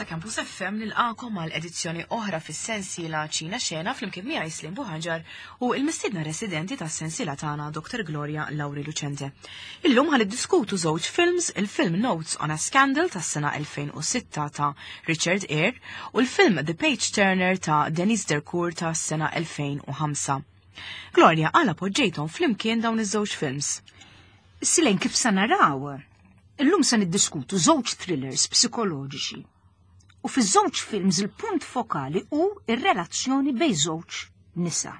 ta' Campus FM nilqakom għal edizzjoni oħra fis-sensiela Ċina Xena flimkien miegħi Slim Buħaġar u l-mistiedna residenti tas-sensiela tagħna Dr. Gloria Lauri Lucente. Illum ħan iddiskutu żewġ films, il-film Notes on a Scandal tas-sena 2006 ta' Richard Eyre u l-film The Page Turner ta' Denise Dercourt tas-sena 2005. Gloria, għala poġġejthom flimkien dawn iż-żewġ films? Silen kif sa naraw, Illum se niddiskutu żewġ thrillers psikoloġiċi. U fiż-żewġ films il-punt fokali hu ir-relazzjoni bejn żewġ nisa.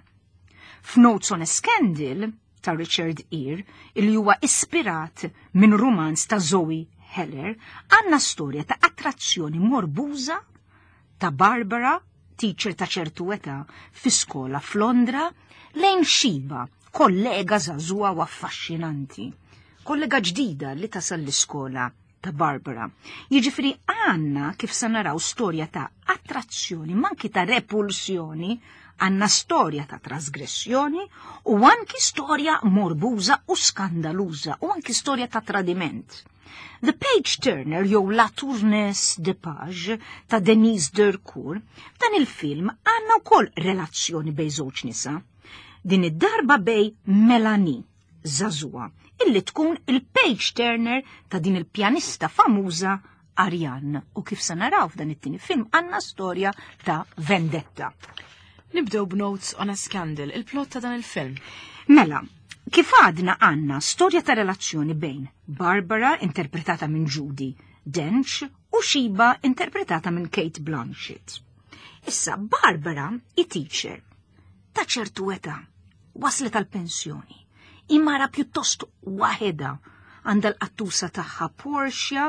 F'Notes on a Scandal ta' Richard Eyre, illi huwa ispirat minn rumanz ta' Zoe Heller, għandna storja ta' attrazzjoni morbuża ta' Barbara, teacher ta' ċertu età fi skola f'Londra, lejn Shiba, kollega żagħżugħa u affaxxinanti. Kollega ġdida li tasal l-iskola ta' Barbara. Jiġifieri għandna kif se naraw storja ta' attrazzjoni, manki ta' repulsjoni, għandna storja ta' trasgressjoni u anki storja morbuża u skandaluża u anki storja ta' tradiment. The Page Turner jew La Tourneuse de Page ta' Denise Dercourt, f'dan il-film għandna wkoll relazzjoni bejn żewġ nisa. Din id-darba bej Melanie, żagħżugħa, illi tkun il-page turner ta' din il-pjanista famuża Ariane. U kif se naraw f'dan it-tieni film għandna storja ta' vendetta. Nibdew b'Notes on a Scandal, il-plot ta' dan il-film. Mela, kif għadna għandna storja ta' relazzjoni bejn Barbara, interpretata minn Judi Dench, u Shiba, interpretata minn Kate Blanchett. Issa, Barbara i teacher ta' ċertu età, waslet għal pensjoni Imara pjuttost waħedha għandha l-qattusa tagħha Portia,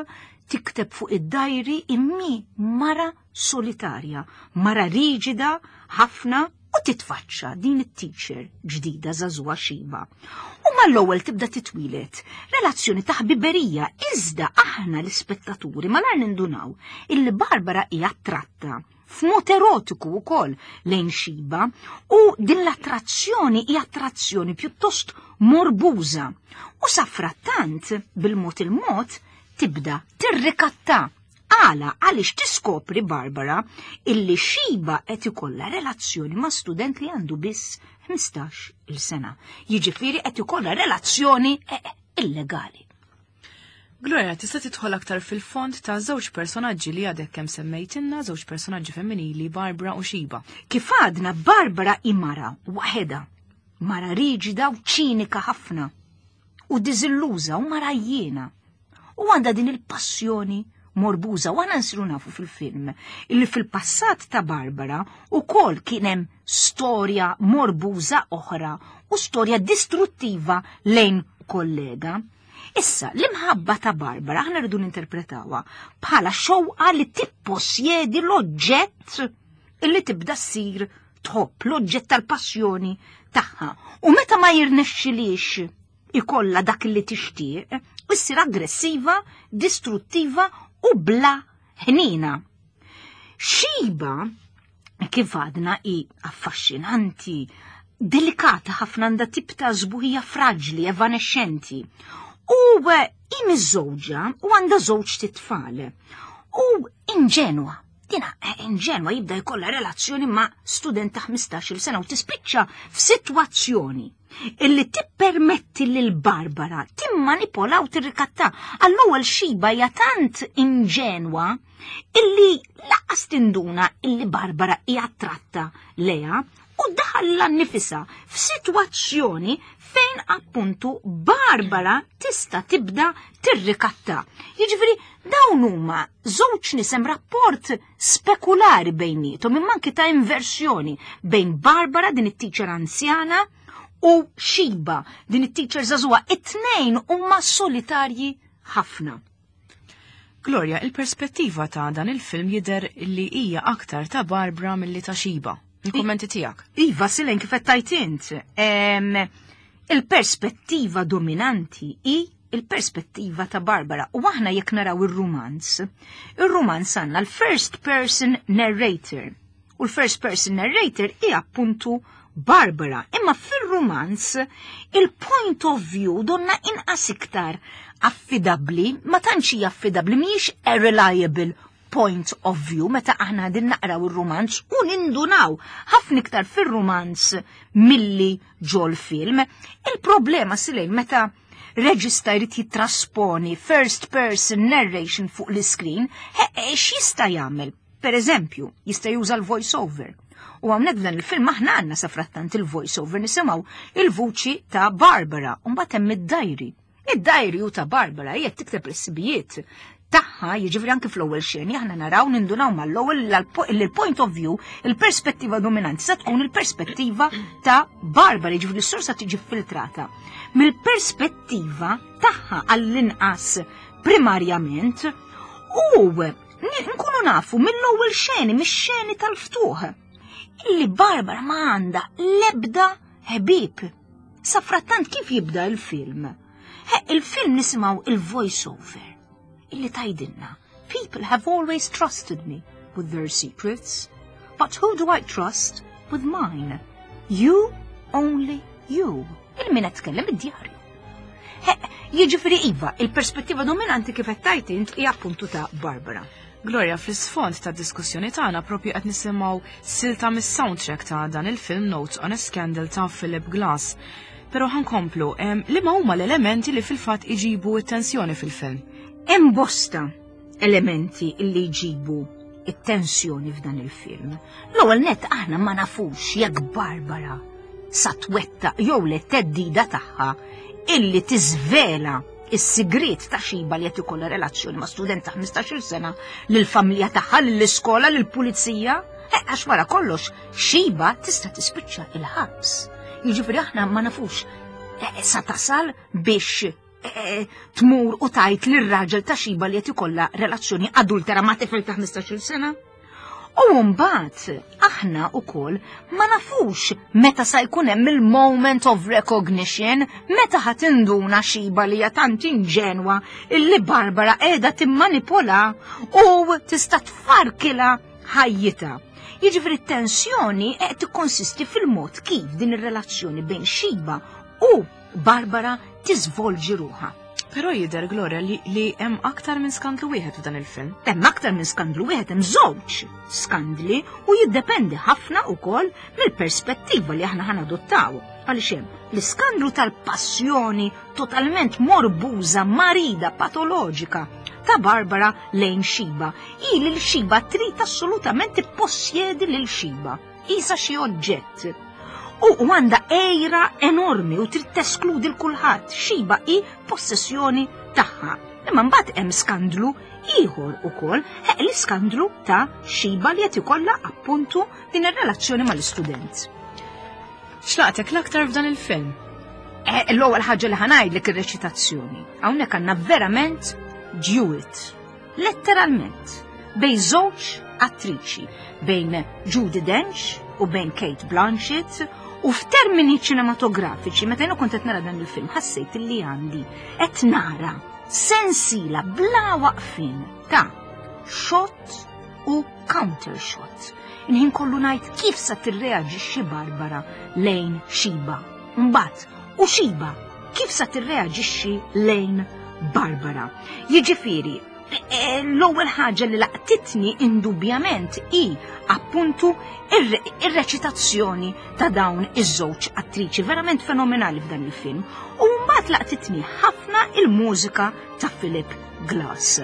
tikteb fuq id-dajri immi mara solitarja, mara riġida ħafna u titfaċċa din it-teacher ġdida żagħżugħa Shiba. U mal-ewwel tibda titwilet relazzjoni ta' ħbiberija iżda aħna l-ispettaturi malar nindunaw illi Barbara hija attratta f'mod erotiku wkoll lejn Shiba u din l-attrazzjoni hija attrazzjoni pjuttost morbuża. U safrattant bil-mod il-mod tibda tirrikatta. Għala għaliex tiskopri Barbara illi Shiba qed ikollha relazzjoni ma' student li għandu biss 15 il sena. Jiġifieri qed ikollha relazzjoni eh, illegali. Gloria, tista' tidħol aktar fil-fond ta' żewġ personaġġi li għadek kemm semmejtilna, żewġ personaġġi femminili, Barbara u Shiba. Kif għadna Barbara hi mara waħedha, mara riġida u ċinika ħafna, u diżilluża u mara jiena. U għandha din il-passjoni morbuża u aħna nsiru nafu fil-film illi fil-passat ta' Barbara ukoll kien hemm storja morbuża oħra u storja distruttiva lejn kollega. Issa, l-imħabba ta' Barbara aħna rridu ninterpretawha bħala xewqa li tipposjedi l-oġġett illi tibda ssir tħobb l-oġġett tal-passjoni tagħha. U meta ma jirnexxilix ikollha dak li tixtieq, issir aggressiva, distruttiva u bla ħnina. Shiba, kif għadna, hi affaxxinanti, delikata ħafna għandha tip ta' żbuħija fraġli, evanexxenti. U eh, hi miżżewġa u għandha żewġ titfal. U inġenwa, dina eh, inġenwa jibda jkollha relazzjoni ma' student ta' 15-il sena u tispiċċa f'sitwazzjoni illi tippermetti lil Barbara timmanipola u tirrikatta. Għall-ewwel Shiba hija tant inġenwa illi laqas tinduna illi Barbara hija attratta leha u daħalla nifisha f'sitwazzjoni fejn appuntu Barbara tista' tibda tirrikatta. Jiġifieri dawn huma żewġ nisem rapport spekulari bejniethom imma anki ta' inversjoni bejn Barbara din it-teacher anzjana u Shiba din it-teacher żagħżugħa. It-tnejn huma solitarji ħafna. Gloria, il-perspettiva ta' dan il-film jidher li hija aktar ta' Barbara milli ta' Shiba. Il-kommenti tiegħek. Iva, Silen kif qed tajt int. Il-perspettiva dominanti hi il-perspettiva ta' Barbara. U aħna jekk naraw ir-rumanz, ir-rumanz għandna l-first person narrator. U l-first person narrator hi appuntu Barbara. Imma fil-rumanz il-point of view donna inqas iktar affidabli, ma tantx hija affidabli, mhijiex a reliable point of view meta aħna din naqraw ir-rumanz u nindunaw ħafna iktar fir-rumanz milli ġol film. Il-problema silejn meta reġista jrid jittrasponi first person narration fuq l-iskrin, x'jista' jagħmel? Per eżempju, jista' juża l-voice over. U hawnhekk f'dan il-film aħna għandna sa frattant il-voice over nisimgħu il-vuċi ta' Barbara u mbagħad hemm id-diary. Id-diary hu ta' Barbara hija tikteb l-sibijiet tagħha, jiġifieri anke fl-ewwel xeni aħna naraw nindunaw mal-ewwel li l-point of view, il-perspettiva dominanti sa tkun il-perspettiva ta' Barbara, jiġifieri s-sorsa tiġi filtrata. Mill-perspettiva tagħha għall-inqas primarjament u nkunu nafu mill-ewwel xeni, mix-xeni tal-ftuħ, illi Barbara ma għandha l-ebda ħbieb. Sa frattant kif jibda il-film? Il-film nisimgħu il-voice over illi tgħidilna People have always trusted me with their secrets, but who do I trust with mine? You, only you. Il-min qed tkellem id-djarju. Jiġifieri iva, il-perspettiva dominanti kif qed tgħid int hija appuntu ta' Barbara. Gloria, fl-isfond ta' diskussjoni tagħna propju qed nisimgħu silta mis-soundtrack ta' dan il-film Notes on a Scandal ta' Philip Glass. Però ħankomplu, liema huma l-elementi li fil-fatt iġibu t-tensjoni fil-film? Hemm bosta elementi li jġibu it-tensjoni f'dan il-film. L-ewwel nett aħna ma nafux jekk Barbara sa twettaq jew le theddida tagħha illi tiżvela is-sigriet ta' Xiba li qed ikollha relazzjoni ma' student ta' 15-il sena lill-familja tagħha, lill-iskola, lill-pulizija. Għax wara kollox Xiba tista' tispiċċa il-ħabs. Jiġifieri aħna ma nafux sa tasal biex tmur u tajt lir-raġel ta' Xiba li qed ikollha relazzjoni adultera ma' tifel ta' 15-il sena. U mbagħad aħna wkoll ma nafux meta sa jkun hemm il-moment of recognition, meta ħa tinduna Xiba li hija tant inġenwa illi Barbara qiegħda timmanipola u tista' tfarkilha ħajjitha. Jiġifieri t-tensjoni qed tikkonsisti fil-mod kif din ir-relazzjoni bejn Xiba u Barbara tiżvolġi ruħha. Però jidher, Gloria, li, li hemm aktar minn skandlu wieħed f'dan il-film. Hemm aktar minn skandlu wieħed, hemm żewġ skandli u jiddependi ħafna wkoll mill-perspettiva li aħna ħanadottaw. Għaliex hemm l-iskandlu tal-passjoni totalment morbuża, marida, patoloġika ta' Barbara lejn Xiba. Hi lil Xiba trid assolutament tippossjedi lil Xiba. Isa xi oġġett. U għandha għejra enormi u trid teskludi l kulħadd. Xiba hi possessjoni tagħha. Imma mbagħad hemm skandlu ieħor ukoll, l-iskandlu ta' Xiba li qed ikollha appuntu din ir-relazzjoni mal-istudent. X'laqtek l-aktar f'dan il-film? L-ewwel ħaġa li ħanajdlek ir-reċitazzjoni. Hawnhekk għandna verament duet. Letteralment, bejn żewġ attriċi, bejn Judi Dench u bejn Cate Blanchett, u f'termini ċinematografiċi, meta jiena kont qed nara dan il-film, ħassejt li għandi qed nara sensila bla waqfien ta' shot u counter shot. Inħin kollu ngħid kif sa tirreaġixxi Barbara lejn Xiba. Mbagħad, u Xiba kif sa tirreaġixxi lejn Barbara. Jiġifieri, l-ewwel ħaġa li laqtitni indubjament hi appuntu ir-reċitazzjoni ta' dawn iż-żewġ attriċi verament fenomenali f'dan il-film. U mbagħad laqtitni ħafna il-mużika ta' Philip Glass.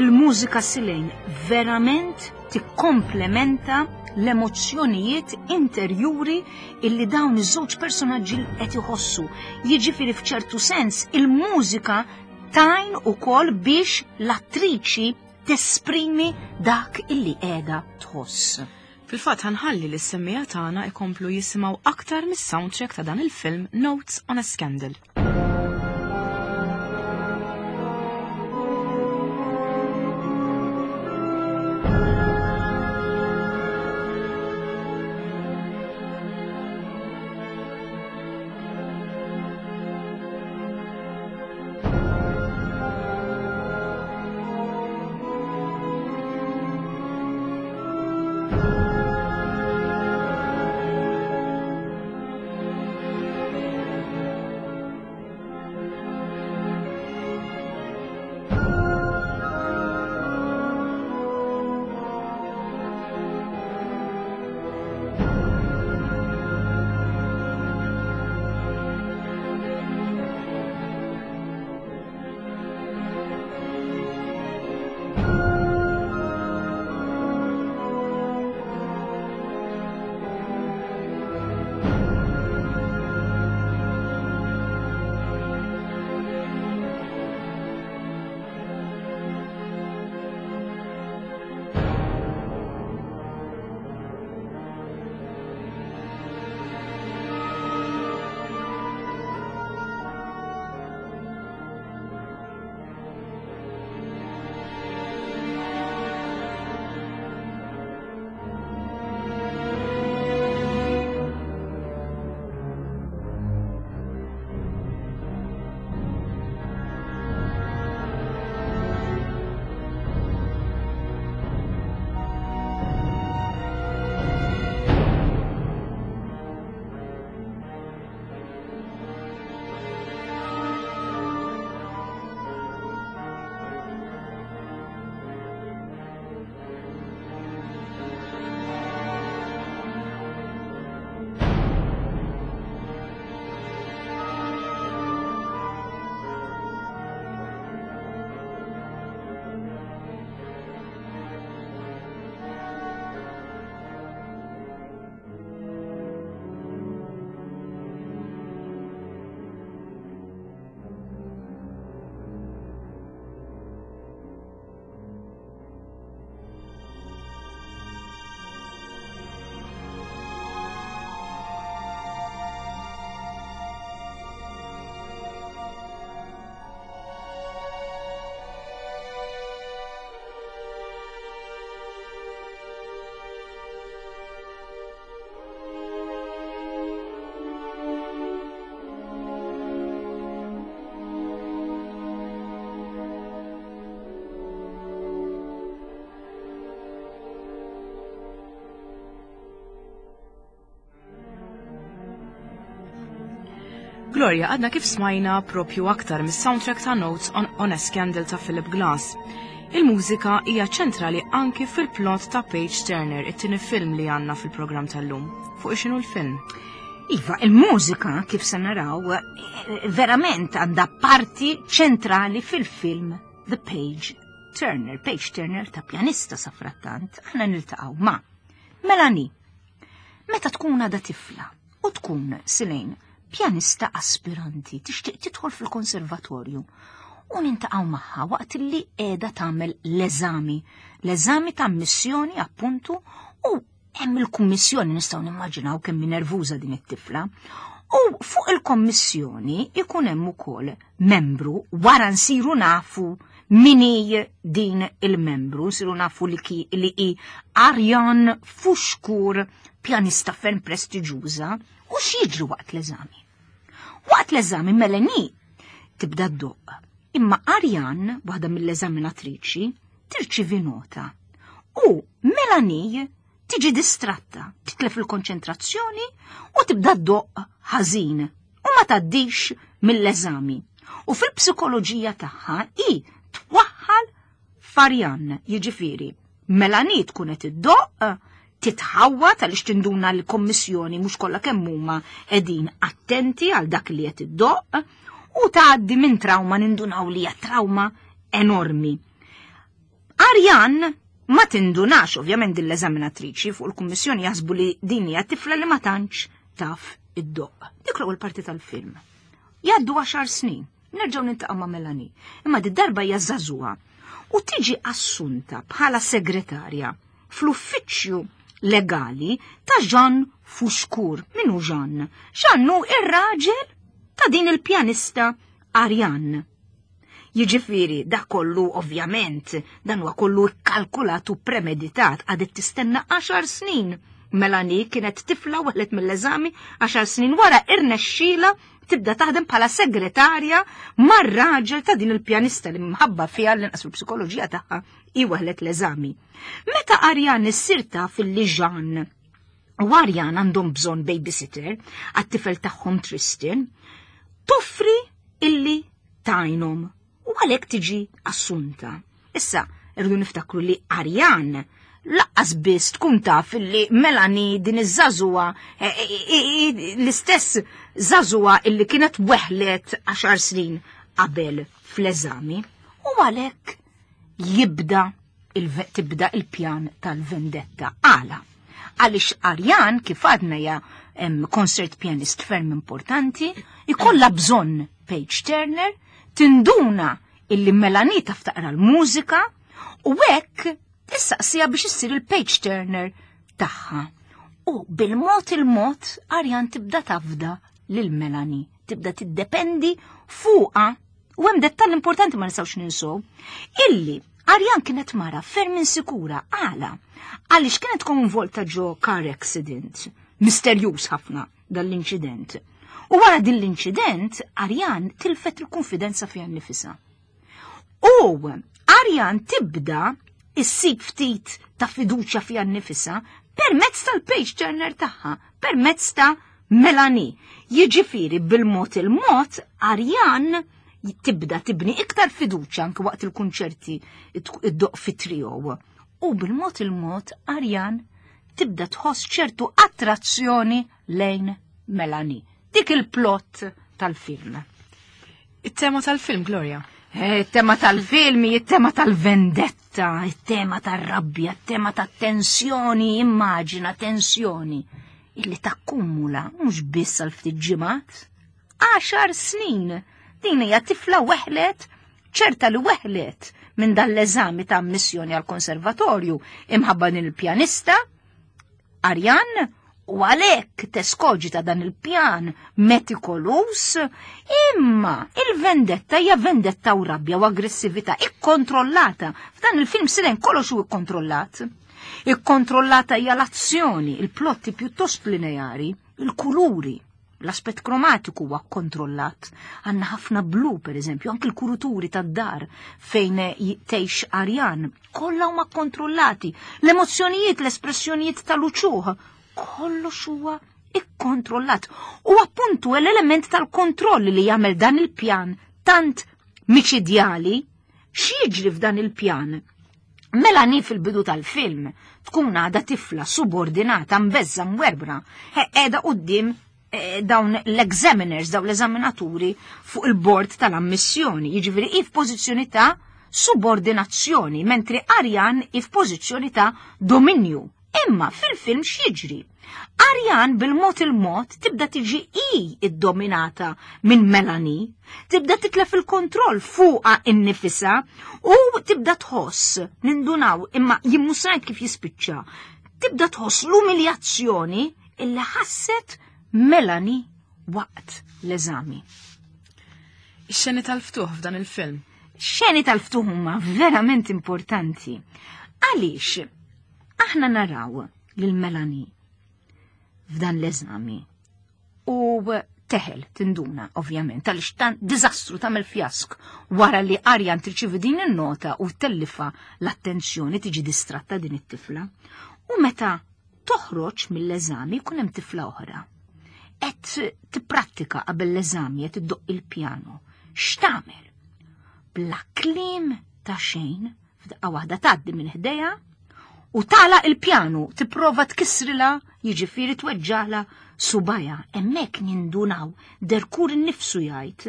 Il-mużika Silejn verament tikkomplementa l-emozzjonijiet interjuri illi dawn iż-żewġ personaġġi qed iħossu. Jiġifieri f'ċertu sens il-mużika tajn ukoll biex l-attriċi tesprimi dak illi qiegħda tħoss. Fil-fatt ħanħalli li s-semmiegħa tagħna ikomplu jisimgħu aktar mis-soundtrack ta' dan il-film Notes on a Scandal. Gloria, għadna kif smajna propju aktar mis-soundtrack ta' Notes on, on a Scandal ta' Philip Glass. Il-mużika hija ċentrali anki fil-plot ta' Page Turner, it-tieni film li għandna fil-programm tal-lum. Fuq x'inhu l-film? Iva, il-mużika, kif se naraw, verament għandha parti ċentrali fil-film The Page Turner. Page Turner ta' pjanista safrattant, aħna niltaqgħu ma' Melanie. Meta tkun għadha tifla u tkun silejn pjanista aspiranti tixtieq tidħol fil-konservatorju u nintaqgħu magħha waqt li qiegħda tagħmel l-eżami, l-eżami ta' ammissjoni appuntu u hemm il-kummissjoni nistgħu nimmaġinaw kemm nervuża din it-tifla. U fuq il-kommissjoni ikun hemm ukoll membru wara nsiru nafu min hi din il-membru, nsiru nafu li ki li hi Arjan Fuxkur, pjanista ferm prestiġuża, u x'jiġri waqt l-eżami. Waqt l-eżami Melanie tibda ddoqq. Imma Arjan, waħda mill-eżaminatriċi, tirċivi nota. U Melanie tiġi distratta, titlef il-konċentrazzjoni u tibda ddoqq ħażin u ma tgħaddix mill-eżami. U fil-psikoloġija tagħha hi twaħħal f'Arjan, jiġifieri Melanie tkun qed iddoqq, titħawwad għaliex tinduna l-kommissjoni mhux kollha kemm huma qegħdin attenti għal dak li qed iddoqq u tgħaddi minn trauma nindunaw li hija trauma enormi. Arjan ma tindunax ovvjament din l-eżaminatriċi fuq il-kummissjoni jaħsbu li din hija tifla li ma tantx taf id-doqq. Dik l-ewwel parti tal-film. Jgħaddu 10 snin, nerġgħu niltaqgħu ma' Melanie, imma di darba hija żagħżugħa u tiġi assunta bħala segretarja fl-uffiċċju legali ta' Jean Fouchkour. Min hu Jean? Jean hu ir-raġel ta' din il-pjanista Ariane. Jiġifieri dak kollu ovvjament dan huwa kollu kkalkulat u premeditat għadet tistenna 10 snin. Melanie kienet tifla weħlet mill-eżami 10 snin wara irnexxiela tibda taħdem bħala segretarja mar-raġel ta' din il-pjanista li mħabba fiha l-inqas fil-psikoloġija tagħha hi weħlet l-eżami. Meta Arjan issir taf illi Jean u Arjan għandhom bżonn babysitter għat-tifel tagħhom Tristan, toffri illi tajnhom u għalhekk tiġi assunta. Issa, irridu niftakru li Arjan laqqas biss tkun taf illi Melanie din iż-żagħżugħa l-istess żagħżugħa illi kienet weħlet 10 snin qabel fl-eżami u għalhekk jibda tibda il-pjan tal-vendetta. Għala? Għaliex Arjan, kif għadna hija concert pianist ferm importanti, ikollha bżonn Page Turner, tinduna illi Melanie taf taqra l-mużika u hekk tissaqsija biex issir il-Page Turner tagħha. U bil-mod il-mod Arjan tibda tafda lil Melanie, tibda tiddependi fuqha. U hemm dettall importanti ma nistgħux ninsew, illi Arjan kienet mara ferm insikura. Għala? Għaliex kienet konvolta ġo car accident, misterjuż ħafna dan l-inċident. U wara din l-inċident, Arjan tilfet il-konfidenza fiha nnifisha. U Arjan tibda issib ftit ta' fiduċja fiha nnifisha permezz tal-page turner tagħha, permezz ta' Melanie. Jiġifieri bil-mod il-mod Arjan tibda tibni iktar fiduċja anke waqt il-kunċerti iddoqq fi trio. U bil-mod il-mod Arjan tibda tħoss ċertu attrazzjoni lejn Melanie. Dik il-plot tal-film. It-tema tal-film, Gloria? It-tema tal-film, it-tema tal-vendetta, it-tema tal-rabbja, it-tema tat-tensjoni, immaġina tensjoni illi takkumula mhux biss għal ftit ġimgħat, 10 snin. Din hija tifla weħlet, ċerta li weħlet minn dan l-eżami ta' ammissjoni għal konservatorju imħabba din il-pjanista Arjan, u għalhekk teskoġita dan il-pjan metikolus, imma il-vendetta hija vendetta u rabbja u aggressività ikkontrollata. F'dan il-film silen kollox hu ikkontrollat. Ikkontrollata hija l-azzjoni, il-plotti pjuttost lineari, il-kuluri, l-aspett kromatiku huwa kkontrollat. Għandna ħafna blu, per eżempju, anki l-kuruturi tad-dar fejn tgħix Arjan, kollha huma kkontrollati. L-emozzjonijiet, l-espressjonijiet tal-uċuħ, kollox huwa Ikkontrollat. U appuntu l-element tal-kontroll li jagħmel dan il-pjan tant miċidjali, x'jiġri f'dan il-pjan? Melanie fil-bidu tal-film tkun għadha tifla subordinata mbeżza mwerbra, qiegħda quddiem eh, dawn l-examiners, dawn l-eżaminaturi fuq il-bord tal-ammissjoni, jiġifieri hi f'pożizzjoni ta' subordinazzjoni, mentri Arjan hi f'pożizzjoni ta' dominju. Imma fil-film x'jiġri? Arjan bil-mod il-mod tibda tiġi i iddominata minn Melanie, tibda titlef il-kontroll fuqha innifisha u tibda tħoss, nindunaw imma jimmusajt kif jispiċċa, tibda tħoss l-umiljazzjoni illi ħasset Melanie waqt l-eżami. Ix-xeni tal-ftuħ f'dan il-film. Xeni tal-ftuħ huma verament importanti. Għaliex aħna naraw lil Melanie f'dan l-eżami u teħel tinduna ovvjament għaliex tan diżastru tagħmel fjask wara li Arjan tirċivi din in-nota u tellifa l-attenzjoni tiġi distratta din it-tifla. U meta toħroġ mill-eżami jkun hemm tifla oħra. Qed tipprattika qabel l-eżami qed iddoq il-pjano. X'tagħmel? Bla kliem ta' xejn, f'daqqa waħda tgħaddi minn ħdejha u tala il-pjanu tipprova tkissrilha jiġifieri tweġġala subajha. Hemmhekk nindunaw Derkur innifsu jgħid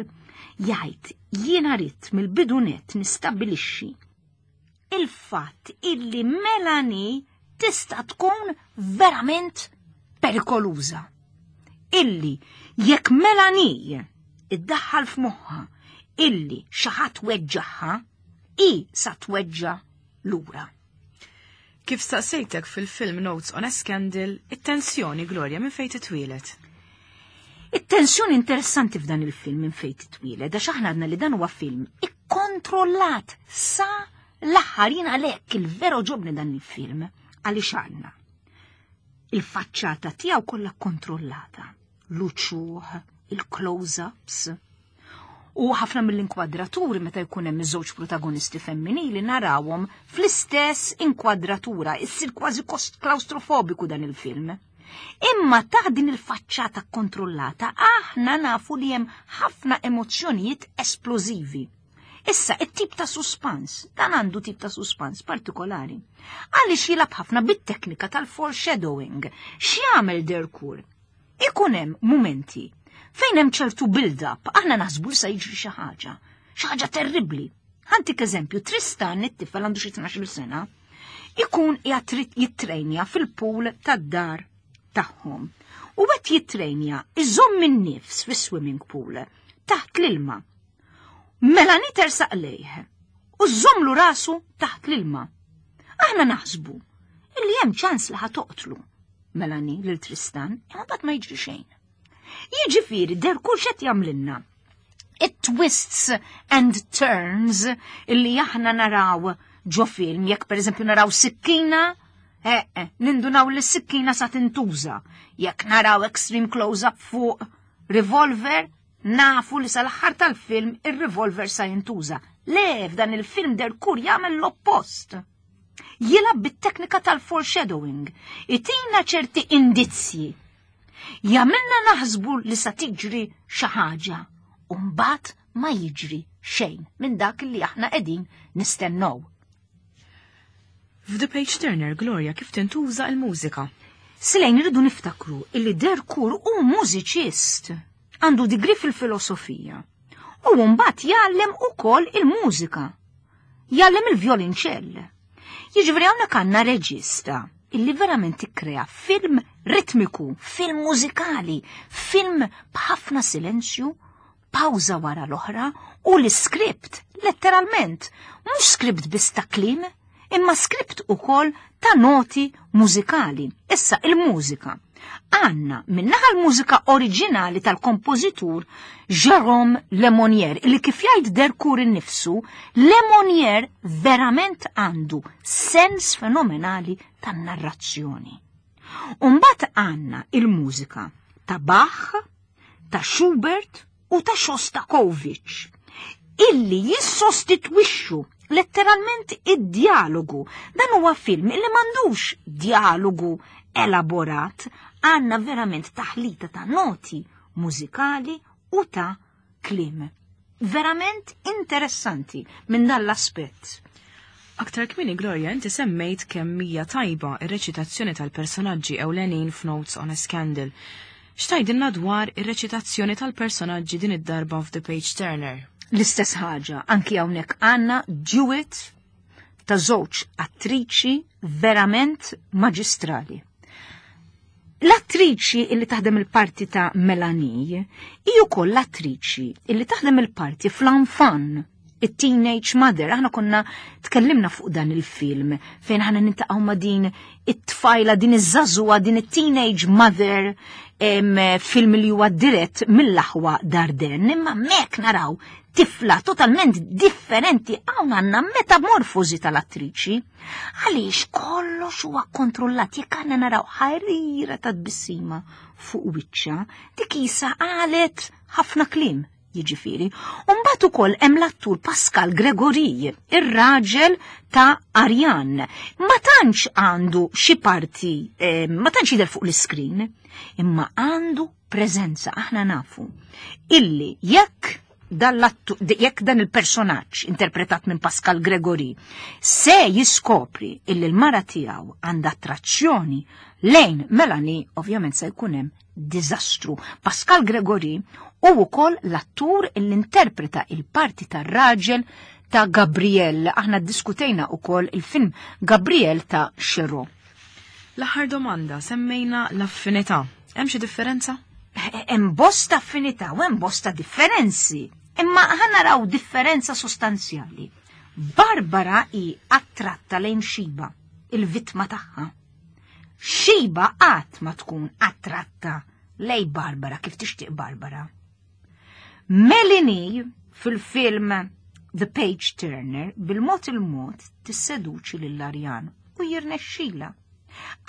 jgħid jiena ridt mill-bidu nett nistabbilixxi il-fatt illi Melanie tista' tkun verament perikoluża. Illi jekk Melanie iddaħħal f'moħħha illi xi ħadd weġġaħħa, hi sa tweġġa' lura. Kif staqsejtek fil-film Notes on a Scandal, it-tensjoni Gloria minn fejn titwieled? It-tensjoni interessanti f'dan il-film minn fejn titwieled, għax aħna għadna li dan huwa film ikkontrollat sa l-aħħar jien għalhekk il-vero ġobni dan il-film għaliex għandna il-faċċata tiegħu kollha kontrollata, l-uċuħ, il-close-ups. U ħafna mill-inkwadraturi meta jkun hemm iż-żewġ protagonisti femminili narawhom fl-istess inkwadratura, issir kważi klaustrofobiku dan il-film. Imma ta' din il-faċċata kontrollata aħna nafu li hemm ħafna emozzjonijiet esplożivi. Issa, it-tip ta' suspans, dan għandu tip ta' suspans partikolari. Għaliex jilgħab ħafna bit-teknika tal-foreshadowing. X'jagħmel Derkur? Ikun hemm mumenti fejn hemm ċertu build-up, aħna naħsbu li se jiġri xi ħaġa, xi ħaġa terribbli. Ħantik eżempju, Tristan it-tifel għandu xi 12 sena, ikun qiegħed jittrejnja fil-pool tad-dar tagħhom. U qed jittrejnja iżomm in-nifs fis-swimming pool taħt l-ilma. Melanie tersaq lejh u żżommlu rasu taħt l-ilma. Aħna naħsbu illi hemm ċans li ħa toqtlu Melanie lil Tristan, imma mbagħad ma jiġri xejn. Jiġifieri Derkur x'qed jagħmlilna. It-twists and turns illi aħna naraw ġo film, jekk pereżempju naraw sikkina, eh, eh, nindunaw li s-sikkina sa tintuża. Jekk naraw extreme close-up fuq revolver, nafu li sal-aħħar tal-film ir-revolver sa jintuża. Le, f'dan il-film Derkur jagħmel l-oppost. Jilgħab bit-teknika tal-foreshadowing, itina ċerti indizzji. Jagħmilna naħsbu li sa tiġri xi ħaġa u mbagħad ma jiġri xejn minn dak li aħna qegħdin nistennew. F'The Page Turner, Gloria, kif tintuża l-mużika? Silejn irridu niftakru illi Derkur hu mużiċist, għandu digri fil-filosofija u mbagħad jgħallem ukoll il-mużika. Jgħallem il-vjolinċell. Jiġifieri hawnhekk għandna reġista illi verament ikkrea film ritmiku, film mużikali, film b'ħafna silenzju, pawża wara l-oħra u l-iskript, letteralment, mhux skript biss ta' kliem, imma skript ukoll ta' noti mużikali. Issa il-mużika. Għanna minnaħa l-mużika oriġinali tal-kompożitur Jérôme Lemonnier, li kif jgħid Derkur innifsu, Lemonnier verament għandu sens fenomenali tan-narrazzjoni. Umbagħad għandna il-mużika ta' Bach, ta' Schubert u ta' Shostakovich, illi jissostitwixxu Letteralment id-dialogu. Dan huwa film illi m'għandux dialogu elaborat, għandna verament taħlita ta' noti mużikali u ta' kliem. Verament interessanti minn dan l-aspett. Aktar kmieni Gloria inti semmejt kemm hija tajba ir-reċitazzjoni tal-personaġġi ewlenin f'Notes on a Scandal. X'tgħidilna dwar ir-reċitazzjoni tal-personaġġi din id-darba f'The Page Turner? L-istess ħaġa, anki hawnhekk għandna duet ta' żewġ attriċi verament maġistrali. L-attriċi illi taħdem il-parti ta' Melanie hi wkoll l-attriċi illi taħdem il-parti fl-Enfant, it-Teenage Mother. Aħna konna tkellimna fuq dan il-film fejn aħna nintaqgħu ma' din it-tfajla, din iż-żagħżugħa, din it-Teenage Mother, film li huwa dirett mill-aħwa Dardenne, imma mek naraw tifla totalment differenti. Hawn għandna metamorfosi tal-attriċi. Għaliex kollox huwa kontrollat, jekk għandna naraw ħarira ta' tbissima fuq wiċċha, dik isa qalet ħafna kliem, jiġifieri. U mbagħad ukoll hemm l-attur Pascal Gregory, ir-raġel ta' Ariane. Ma tantx għandu xi parti, ma tantx jidher fuq l-iskrin, imma għandu preżenza. Aħna nafu illi jekk jekk dan il-personaġġ interpretat minn Pascal Gregory se jiskopri illi l-mara tiegħu għandha attrazzjoni lejn Melanie, ovvjament se jkun hemm diżastru. Pascal Gregory u wkoll l-attur illi interpreta il-parti tar-raġel ta' Gabriel. Aħna ddiskutejna wkoll il-film Gabriel ta' Chéreau. L-aħħar domanda, semmejna l-affinità. Hemm xi differenza? Hemm bosta affinità u hemm bosta differenzi. Imma ħa naraw differenza sostanzjali. Barbara hi attratta lejn Xiba, il-vittma tagħha. Xiba qatt ma tkun attratta lej Barbara kif tixtieq Barbara. Melanie fil-film The Page Turner bil-mod il-mod tisseduċi lil Arjan u jirnexxila.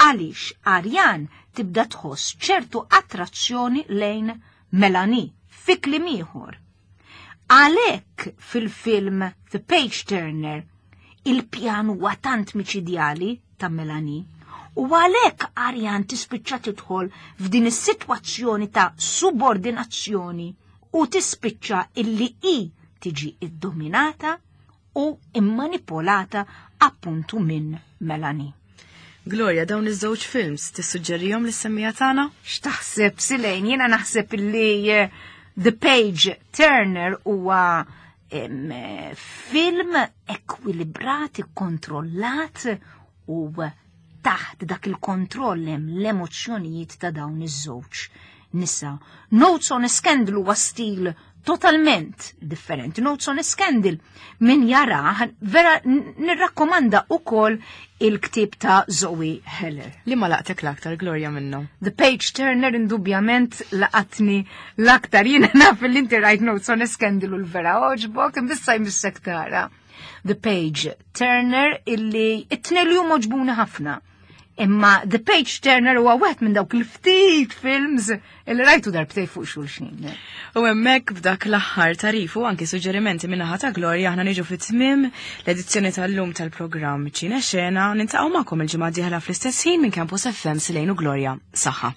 Għaliex Arjan tibda tħoss ċertu attrazzjoni lejn Melanie fi kliem ieħor. Għalhekk fil-film The Page Turner il-pjan huwa tant miċidjali ta' Melanie u għalhekk Arjan tispiċċa tidħol f'din is-sitwazzjoni ta' subordinazzjoni u tispiċċa illi hi tiġi iddominata u immanipolata appuntu minn Melanie. Gloria, dawn iż-żewġ films tissuġġerihom lis-semmiegħa tagħna? X'taħseb, Silejn? Jiena naħseb illi The Page Turner huwa film ekwilibrat, ikkontrollat u taħt dak il-kontroll hemm l-emozzjonijiet ta' dawn iż-żewġ nisa. Notes on a Scandal huwa stil totalment differenti. Notes on a Scandal min jara vera nirrakkomanda ukoll il-ktieb ta' Zoe Heller. Li ma laqtek l-aktar, Gloria, minnu? The Page Turner indubjament laqatni l-aktar. Jiena naf li inti rajt Notes on a Scandal u l-vera oġbok, imbissa jmissek tara. The Page Turner illi it-tnejn li huma oġbuni ħafna. Imma The Page Turner huwa wieħed minn dawk il-ftit films illi rajtu darbtej fuq xulxin. U hemmhekk b'dak l-aħħar tarif u anki suġġerimenti minn naħa ta' Gloria aħna niġu fit-tmiem l-edizzjoni tal-lum tal-programm Ċine Xena. Nintaqgħu magħkom il-ġimgħa d-dieħla fl-istess ħin minn Campus FM. Silejn u Gloria. Saħħa.